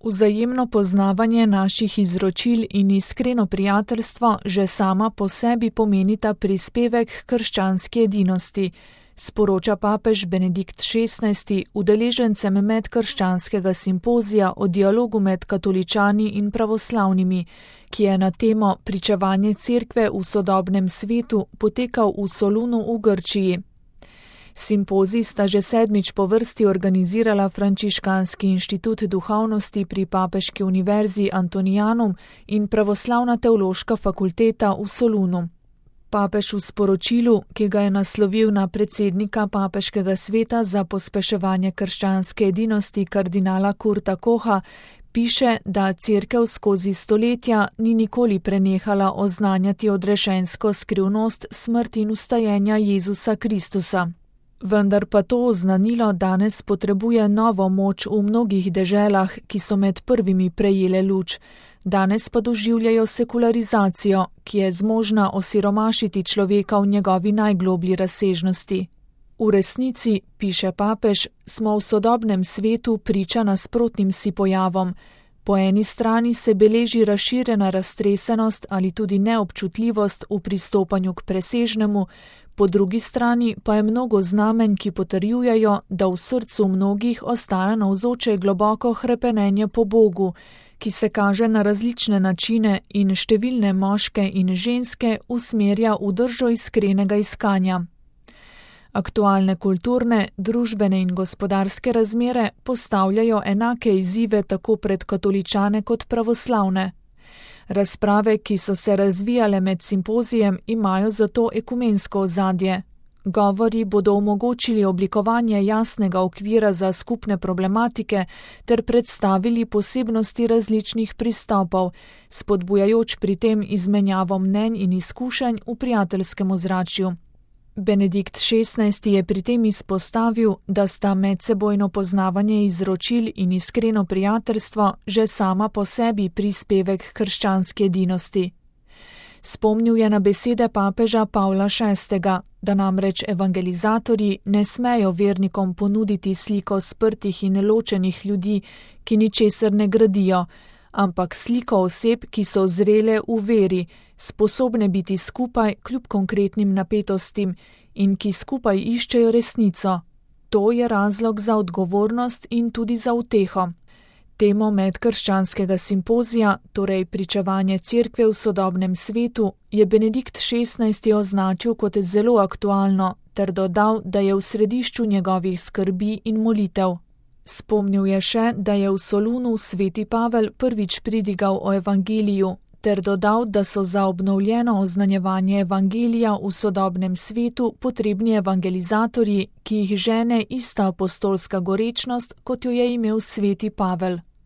Vzajemno poznavanje naših izročil in iskreno prijateljstvo že sama po sebi pomenita prispevek k krščanski edinosti, sporoča papež Benedikt XVI udeležencem medkrščanskega simpozija o dialogu med katoličani in pravoslavnimi, ki je na temo Pričevanje cerkve v sodobnem svetu potekal v Solunu v Grčiji. Simpozij sta že 7. po vrsti organizirala Frančiškanski inštitut duhovnosti pri Papeški univerzi Antonianum in Pravoslavna teološka fakulteta v Solunu. Papež v sporočilu, ki ga je naslovil na predsednika Papeškega sveta za pospeševanje krščanske edinosti kardinala Kurta Koha, piše, da cerkev skozi stoletja ni nikoli prenehala oznanjati odrešensko skrivnost smrti in vstajenja Jezusa Kristusa. Vendar pa to oznanilo danes potrebuje novo moč v mnogih deželah, ki so med prvimi prejele luč. Danes pa doživljajo sekularizacijo, ki je zmožna osiromašiti človeka v njegovi najgloblji razsežnosti. V resnici, piše papež, smo v sodobnem svetu priča nasprotnim si pojavom. Po eni strani se beleži razširjena raztresenost ali tudi neobčutljivost v pristopanju k presežnemu, po drugi strani pa je mnogo znamenj, ki potrjujejo, da v srcu mnogih ostaja navzoče globoko hrepenenje po Bogu, ki se kaže na različne načine in številne moške in ženske usmerja v držo iskrenega iskanja. Aktualne kulturne, družbene in gospodarske razmere postavljajo enake izzive tako pred katoličane kot pravoslavne. Razprave, ki so se razvijale med simpozijem, imajo zato ekumensko ozadje. Govori bodo omogočili oblikovanje jasnega okvira za skupne problematike ter predstavili posebnosti različnih pristopov, spodbujajoč pri tem izmenjavo mnenj in izkušenj v prijateljskem ozračju. Benedikt XVI je pri tem izpostavil, da sta medsebojno poznavanje izročil in iskreno prijateljstvo že sama po sebi prispevek krščanske edinosti. Spomnil je na besede papeža Pavla VI, da namreč evangelizatorji ne smejo vernikom ponuditi sliko sprtih in ločenih ljudi, ki ničesar ne gradijo, ampak sliko oseb, ki so zrele v veri, sposobne biti skupaj kljub konkretnim napetostim in ki skupaj iščejo resnico. To je razlog za odgovornost in tudi za uteho. Temo medkrščanskega simpozija, torej Pričevanje cerkve v sodobnem svetu, je Benedikt XVI označil kot zelo aktualno ter dodal, da je v središču njegovih skrbi in molitev. Spomnil je še, da je v Solunu sveti Pavel prvič pridigal o evangeliju, ter dodal, da so za obnovljeno oznanjevanje evangelija v sodobnem svetu potrebni evangelizatorji, ki jih žene ista apostolska gorečnost, kot jo je imel sveti Pavel.